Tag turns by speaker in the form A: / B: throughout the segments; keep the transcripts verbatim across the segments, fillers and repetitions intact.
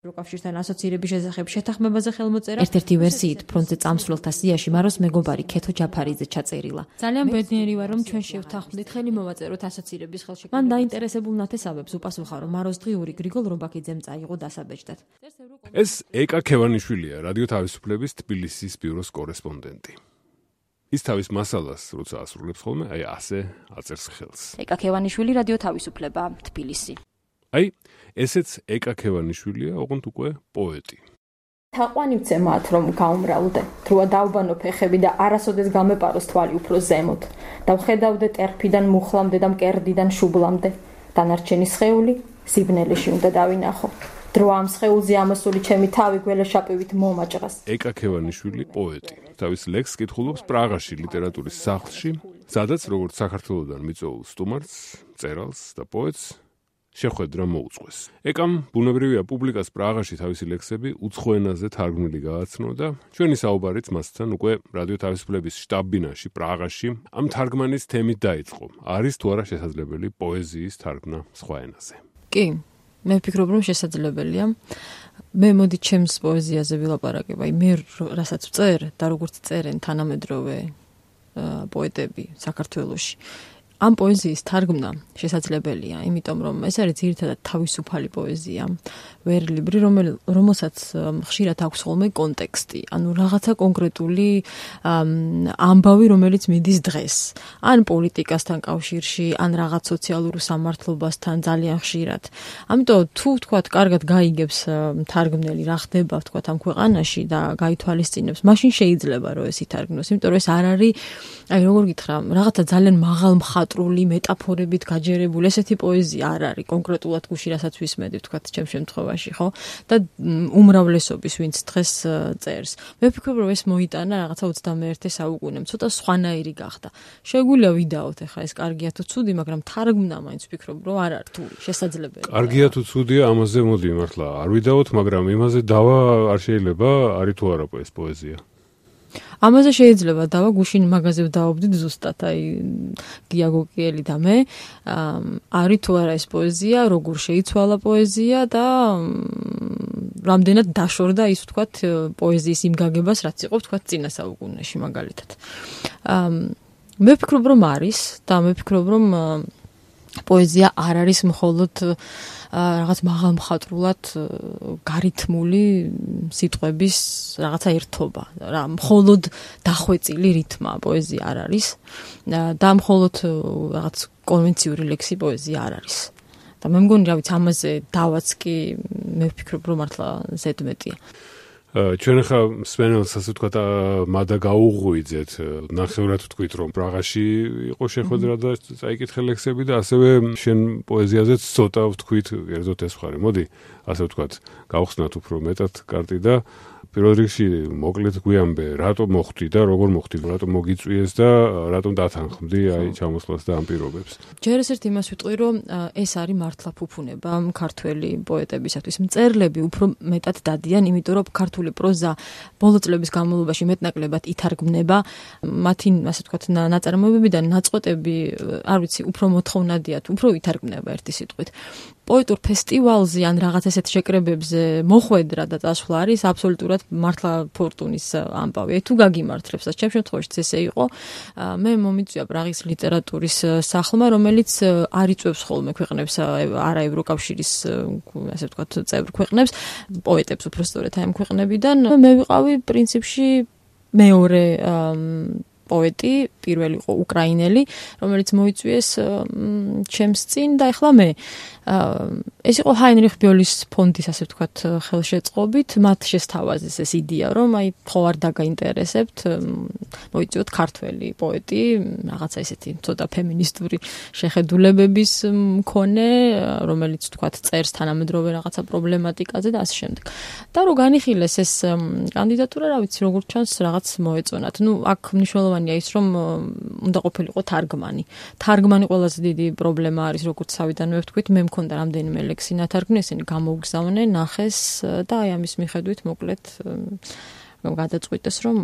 A: რუკავშირთან ასოცირების შესახებ შეთანხმებაზე ხელმოწერა. ერთ-ერთი ვერსიით ფრონტზე წამსვლელთა სიაში მაროს მეგობარი ქეთო ჯაფარიძე ჩაწერილა. ძალიან ბედნიერი ვარ, რომ ჩვენ შევთანხმდით ხელი მოვაწეროთ ასოცირების ხელშეკრულება. მან დაინტერესებულ ნათესავებს უპასუხა, რომ მაროს დღიური გრიგოლ რომბაქიძემ წაიღო დასაბეჭდად.
B: ეს ეკა ქევანიშვილია, რადიო თავისუფლების თბილისის ბიუროს კორესპონდენტი. ის თავის მასალას, როცა ასრულებს ხოლმე, აი ასე აწერს ხელს.
A: ეკა ქევანიშვილი, რადიო თავისუფლება, თბილისი.
B: აი, ესეც ეკა ქევანიშვილია, ოღონდ უკვე პოეტი.
C: თაყვანივცე მათ, რომ გაუმრავლდე, დროა დავბანო ფეხები და არასოდეს გამეპაროს თვალი უფრო ზემოთ. დავხედავდე ტერფიდან მუხლამდე და მკერდიდან შუბლამდე. დანარჩენი სხეული სიბნელეში უნდა დავინახო. დროა ამ სხეულზე ამოსული ჩემი თავი გველეშაპივით მომაჭრას.
B: ეკა ქევანიშვილი პოეტი. თავის ლექსს კითხულობს პრაღაში ლიტერატურის სახლში, სადაც როგორც საქართველოსდან მიწვეულ სტუმარს, მწერალს და პოეტს შეხვედრა მოუწყვეს. ეკამ ბუნებრივია პუბლიკას პრაღაში თავისი ლექსები უცხო ენაზე თარგმნილი გააცნო და ჩვენი საუბარიც მასთან უკვე რადიო თავისუფლების შტაბ-ბინაში პრაღაში ამ თარგმანის თემით დაიწყო. არის თუ არა შესაძლებელი პოეზიის თარგმნა სხვა ენაზე?
A: კი, მე ვფიქრობ, რომ შესაძლებელია. მე მოდი ჩემს პოეზიაზე ვილაპარაკებ, აი მე რასაც ვწერ და როგორც წერენ თანამედროვე პოეტები საქართველოში. ამ პოეზიის თარგმნა შესაძლებელია, იმიტომ რომ ეს არის ძირითადად თავისუფალი პოეზია, ვერლიბრი, რომელსაც ხშირად აქვს ხოლმე კონტექსტი, ანუ რაღაცა კონკრეტული ამბავი, რომელიც მიდის დღეს, ან პოლიტიკასთან კავშირში, ან რაღაც სოციალურ სამართლობასთან ძალიან ხშირად. ამიტომ თუ თქვათ, კარგად გაიგებს თარგმნელი რა ხდება, თქვათ ამ ქვეყანაში და გაითვალისწინებს, მაშინ შეიძლება რომ ეს ითარგმნოს, იმიტომ რომ ეს არ არის, აი როგორ გითხრა, რაღაცა ძალიან მაღალ მხატვრული მეტაფორებით გაჯერებული ესეთი პოეზია არ არის კონკრეტულად გუში რასაც ვისმედი თქვათ ჩემ შემთხვევაში, ხო? და უმრავლესობის ვინც დღეს წერს. მე ვფიქრობ, რომ ეს მოიტანა რაღაცა ოცდამეერთე საუკუნემ, ცოტა სხვანაირი გახდა. შეგვიძლია ვიდაოთ ახლა ეს კარგია თუ ცუდი, მაგრამ თარგმნა მაინც ვფიქრობ, რომ არ არის რთული, შესაძლებელია.
B: კარგია თუ ცუდია, ამაზე მოდი მართლა არ ვიდაოთ, მაგრამ იმაზე დავა არ შეიძლება, არის თუ არა ეს პოეზია.
A: ამაზე შეიძლება დავა გუშინ მაგაზე ვდაობდით ზუსტად, აი გია გოკიელი და მე, არის თუ არა ეს პოეზია, როგორ შეიცვალა პოეზია და რამდენად დაშორდა ის ვთქვათ პოეზიის იმ გაგებას, რაც იყო ვთქვათ წინა საუკუნეში მაგალითად. მე ვფიქრობ, რომ არის და მე ვფიქრობ, რომ პოეზია არ არის მხოლოდ რაღაც მაღალ მხატვრულად გარითმული სიტყვების რაღაცა ერთობა. რა მხოლოდ დახვეწილი რითმა პოეზია არ არის და მხოლოდ რაღაც კონვენციური ლექსი პოეზია არ არის. და მე მგონი, რა ვიცი, ამაზე დავაც კი მე ვფიქრობ, რომ მართლა ზედმეტია.
B: ჩვენ ახლა სპენელს ასე ვთქვათ მადა გაუღვიძეთ, ნახევრად ვთქვით, რომ პრაღაში იყო შეხვედრა და წაიკითხე ლექსები და ასევე შენ პოეზიაზეც ცოტა ვთქვით, კერძოდ ეს მხარე. მოდი, ასე ვთქვათ, გავხსნათ უფრო მეტად კარტი და პირველ რიგში მოკლედ გვიამბე, რატომ მოხვდი და როგორ მოხვდი, რატომ მოგიწვიეს და რატომ დათანხმდი აი ჩამოსვლას და ამ პირობებს.
A: ჯერ ერთ იმას ვიტყვი, რომ ეს არის მართლა ფუფუნება ქართველი პოეტებისათვის. მწერლები უფრო მეტად დადიან, იმიტომ რომ ქართული პროზა ბოლო წლების განმავლობაში მეტნაკლებად ითარგმნება, მათი ასე ვთქვათ ნაწარმოებებიდან ნაწყვეტები, არ ვიცი, უფრო მოთხოვნადიათ, უფრო ითარგმნება ერთი სიტყვით. პოეტურ ფესტივალზე ან რაღაც ესეთ შეკრებებზე მოხვედრა და წასვლა არის აბსოლუტურად მართლა ფორტუნის ამბავი. თუ გაგიმართლებს, ჩემ შემთხვევაშიც ესე იყო, მე მომიწვია პრაღის ლიტერატურის სახლმა, რომელიც არ იწვევს ხოლმე ქვეყნებს, არა ევროკავშირის ასე ვთქვათ წევრ ქვეყნებს, პოეტებს უფრო სწორედ აი ამ ქვეყნებიდან. მე ვიყავი პრინციპში მეორე პოეტი, პირველი იყო უკრაინელი, რომელიც მოიწვიეს ჩემს წინ და ეხლა მე. ეს იყო ჰაინრიხ ბიოლის ფონდის ასე ვთქვათ ხელშეწყობით, მათ შესთავაზეს ეს იდეა, რომ აი ხო არ დაგაინტერესებთ, მოიწვიოთ ქართველი პოეტი, რაღაცა ესეთი ცოტა ფემინისტური შეხედულებების მქონე, რომელიც ვთქვათ წერს თანამედროვე რაღაცა პრობლემატიკაზე და ასე შემდეგ. და რო განიხილეს ეს კანდიდატურა, რა ვიცი, როგორც ჩანს, რაღაც მოეწონათ. ნუ აქ მნიშვნელოვანია ის, რომ უნდა ყოფილიყო თარგმანი. თარგმანი ყველაზე დიდი პრობლემა არის, როგორც თავიდანვე ვთქვით, მე მქონდა რამდენიმე ლექსი ნათარგმნი, ესენი გამოუგზავნე, ნახეს და აი ამის მიხედვით მოკლედ გადაწყვიტეს, რომ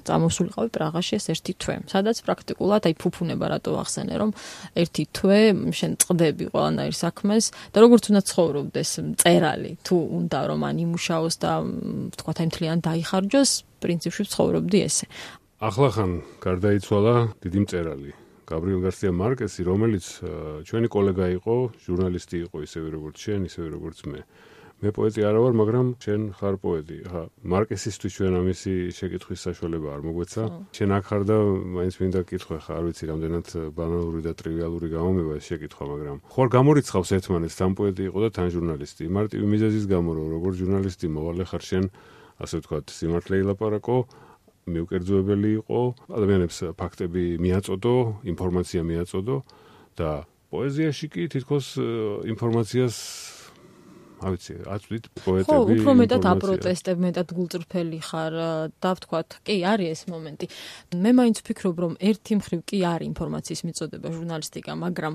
A: წამოსულიყავი პრაღაში ეს ერთი თვე. სადაც პრაქტიკულად აი ფუფუნება რატო ახსენე, რომ ერთი თვე შენ წყდები ყველანაირ საქმეს და როგორც უნდა ცხოვრობდეს მწერალი, თუ უნდა რომ ან იმუშაოს და თქვა აი მთლიან დაიხარჯოს, პრინციპში ცხოვრობდი ესე.
B: ახლა ხან გარდაიცვალა დიდი მწერალი გაბრიელ გარსია მარკესი, რომელიც ჩვენი კოლეგა იყო, ჟურნალისტი იყო ისევე როგორც შენ, ისევე როგორც მე. მე პოეტი არა ვარ, მაგრამ შენ ხარ პოეტი. ხა, მარკესისთვის ჩვენ ამისი შეკითხვის საშუალება არ მოგვეცა. შენ აქ ხარ და მაინც მინდა გკითხო, ხა არ ვიცი რამდენად ბანალური და ტრივიალური გამომება ეს შეკითხვა, მაგრამ ხوار გამორიცხავს ერთმანეთს, თან პოეტი იყო და თან ჟურნალისტი. მარტივი მიზეზის გამო, რომ როგორც ჟურნალისტი მოვალე ხარ შენ, ასე ვთქვათ, სიმართლე ილაპარაკო, მიუკერძოებელი იყო, ადამიანებს ფაქტები მიაწოდო, ინფორმაცია მიაწოდო და პოეზიაში კი თითქოს ინფორმაციას არ ვიცი, აწვდით პოეტები.
A: ხო, უფრო მეტად აპროტესტებ, მეტად გულწრფელი ხარ და ვთქვათ, კი, არის ეს მომენტი. მე მაინც ვფიქრობ, რომ ერთი მხრივ კი არის ინფორმაციის მიწოდება ჟურნალისტიკა, მაგრამ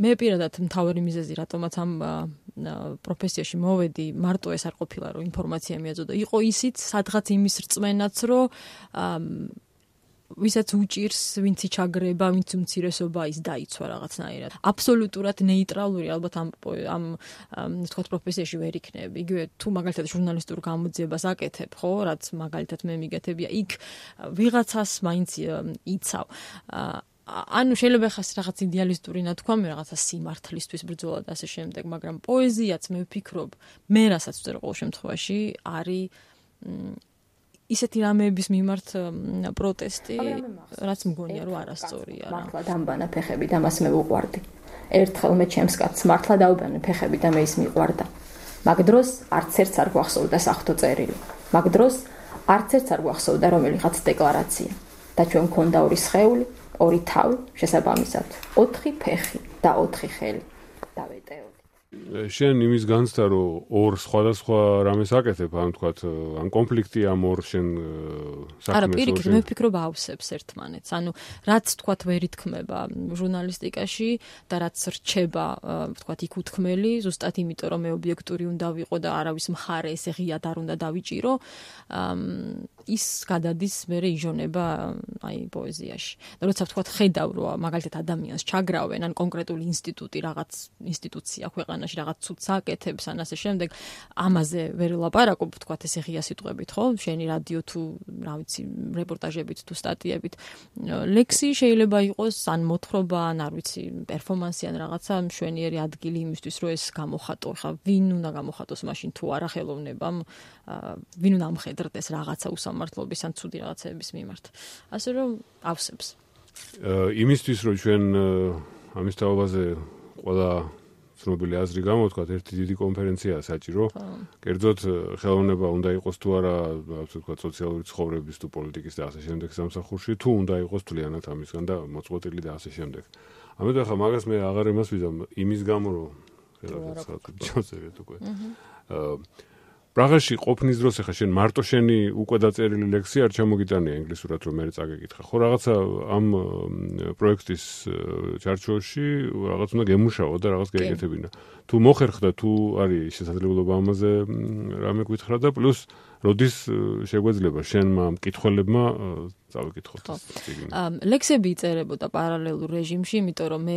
A: მე პირადად მთავარი მიზეზი, რატომაც ამ პროფესიაში მოვედი, მარტო ეს არ ყოფილა, რომ ინფორმაცია მიაწოდო. იყო ისიც, სადღაც იმის რწმენაც, რომ ვისაც უჭირს, ვინც იჩაგრება, ვინც უმცირესობა ის დაიცვა რაღაცნაირად. აბსოლუტურად ნეიტრალური ალბათ ამ ამ ვთქვათ პროფესიაში ვერ იქნები. იგივე თუ მაგალითად ჟურნალისტურ გამოძიებას აკეთებ, ხო, რაც მაგალითად მე მიგეთებია, იქ ვიღაცას მაინც იცავ. ანუ შეიძლება ხას რაღაც იდეალისტური ნათქვამი, რაღაცა სიმართლისთვის ბრძოლა და ასე შემდეგ, მაგრამ პოეზიაც მე ვფიქრობ, მე რასაც ვწერ ყოველ შემთხვევაში არის ისეთი რამეების მიმართ პროტესტი, რაც მგონია რომ არასწორია რა.
C: მართლა დამბანა ფეხები და მას მე ვუყვარდი. ერთხელ მე ჩემს კაცს მართლა დაუბანა ფეხები და მე ის მიყვარდა. მაგ დროს არც ერთს არ გვახსოვდა სახთო წერილი. მაგ დროს არც ერთს არ გვახსოვდა რომელიღაც დეკლარაცია. და ჩვენ მქონდა ორი სხეული, ორი თავი, შესაბამისად, ოთხი ფეხი და ოთხი ხელი. დავეტეოდი.
B: შენ იმის განცდა, რომ ორ სხვადასხვა რამეს აკეთებ, ან თქვათ, ან კონფლიქტი ამ ორ შენ საქმეს.
A: არა, პირიქით, მე ვფიქრობ ავსებს ერთმანეთს. ანუ რაც თქვათ ვერ ითქმება ჟურნალისტიკაში და რაც რჩება, თქვათ, იქ უთქმელი, ზუსტად იმიტომ, რომ მე ობიექტური უნდა ვიყო და არავის მხარე ესე ღიად არ უნდა დავიჭირო, ის გადადის მერე იჟონება აი პოეზიაში. და როცა თქვათ ხედავ, რომ მაგალითად ადამიანს ჩაგრავენ, ან კონკრეტული ინსტიტუტი, რაღაც ინსტიტუცია ქვეყანაში რაღაც ცუდს აკეთებს, ან ასე შემდეგ, ამაზე ვერ ვლაპარაკობ, თქვათ ესე ღია სიტყვებით, ხო? შენი რადიო თუ, რა ვიცი, რეპორტაჟებით თუ სტატიებით. ლექსი შეიძლება იყოს ან მოთხრობა, ან არ ვიცი, პერფორმანსი, ან რაღაცა მშვენიერი ადგილი იმისთვის, რომ ეს გამოხატო. ხა ვინ უნდა გამოხატოს მაშინ თუ არა ხელოვნებამ, ვინ უნდა ამხედრდეს რაღაცა უსამართლობის ან ცუდი რაღაცების მიმართ. ასე რომ ავსებს.
B: იმისთვის რომ ჩვენ ამის თაობაზე ყველა ცნობილი აზრი გამოვთქვათ, ერთი დიდი კონფერენციაა საჭირო. კერძოდ ხელოვნება უნდა იყოს თუ არა, ასე ვთქვათ, სოციალური ცხოვრების თუ პოლიტიკის და ასე შემდეგ სამსახურში, თუ უნდა იყოს თლიანად ამისგან და მოწყვეტილი და ასე შემდეგ. ამიტომ ახლა მაგას მე აღარ იმას ვიზამ, იმის გამო რომ ხელოვნებას ჩავწერეთ უკვე. პრაღაში ყოფნის დროს ახლა შენ მარტო შენი უკვე დაწერილი ლექსი არ ჩამოგიტანია ინგლისურად რომ მე წაგეკითხა. ხო რაღაცა ამ პროექტის ჩარჩოში რაღაც უნდა გემუშაო და რაღაც გაიგეთებინა. თუ მოხერხდა, თუ არის შესაძლებლობა ამაზე რამე გითხრა და პლუს როდის შეგვეძლება შენმა მკითხველებმა წავიკითხოთ ეს წიგნი.
A: ლექსები იწერებოდა პარალელურ რეჟიმში, იმიტომ რომ მე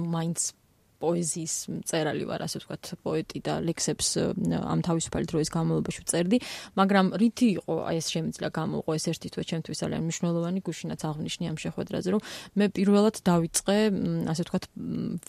A: მაინც პოეზიის მწერალი ვარ, ასე ვთქვათ, პოეტი და ლექსებს ამ თავისუფალი დროის განმავლობაში ვწერდი, მაგრამ რითი იყო აი ეს შემიძლია გამოუყო ეს ერთი თვე ჩემთვის ძალიან მნიშვნელოვანი, გუშინაც აღნიშნე ამ შეხვედრაზე, რომ მე პირველად დავიწყე, ასე ვთქვათ,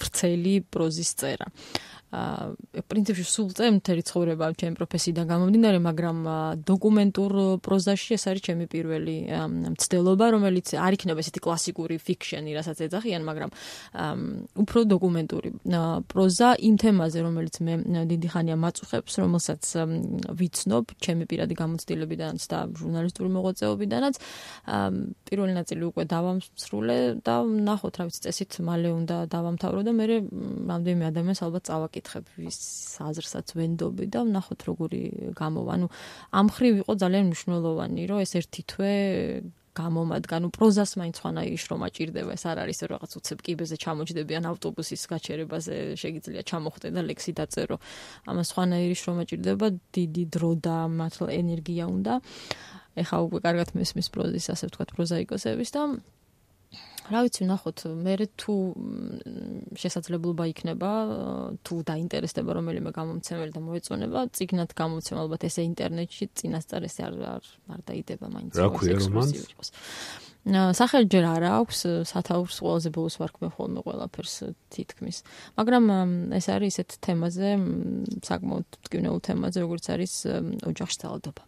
A: ვრცელი პროზის წერა. პრინციპში სულ წე მთელი ცხოვრება ჩემი პროფესიიდან გამომდინარე, მაგრამ დოკუმენტურ პროზაში ეს არის ჩემი პირველი მცდელობა, რომელიც არ იქნება ესეთი კლასიკური ფიქშენი, რასაც ეძახიან, მაგრამ უფრო დოკუმენტური პროზა იმ თემაზე, რომელიც მე დიდი ხანია მაწუხებს, რომელსაც ვიცნობ ჩემი პირადი გამოცდილებიდანაც და ჟურნალისტური მოღვაწეობიდანაც. პირველი ნაწილი უკვე დავამსრულე და ნახოთ, რა ვიცი, წესით მალე უნდა დავამთავრო და მე რამდენიმე ადამიანს ალბათ წავაკითხებ, ვის აზრსაც ვენდობი და ნახოთ როგორი გამოვა. ანუ ამ ხრივ იყო ძალიან მნიშვნელოვანი, რომ ეს ერთი თვე გამომადგა, ნუ პროზას მაინც ხანაირი შრომა ჭირდება, ეს არ არის რაღაც უცებ კიბეზე ჩამოჯდებიან ავტობუსის გაჩერებაზე შეგიძლია ჩამოხვდე და ლექსი დაწერო. ამას ხანაირი შრომა ჭირდება, დიდი დრო და მართლა ენერგია უნდა. ეხა უკვე კარგად მესმის პროზის, ასე ვთქვათ, პროზაიკოსების და რა ვიცი, ნახოთ, მე თუ შესაძლებლობა იქნება, თუ დაინტერესდება რომელიმე გამომცემელი და მოეწონება, წიგნად გამომცემ ალბათ ესე ინტერნეტში წინასწარ ესე არ არ დაიდება მაინც.
B: რა ქვია რომანს?
A: სახელი ჯერ არ აქვს, სათაურს ყველაზე ბოლოს ვარქმევ ხოლმე ყველაფერს თითქმის. მაგრამ ეს არის ისეთ თემაზე, საკმაოდ მტკივნეულ თემაზე, როგორც არის ოჯახში ძალადობა.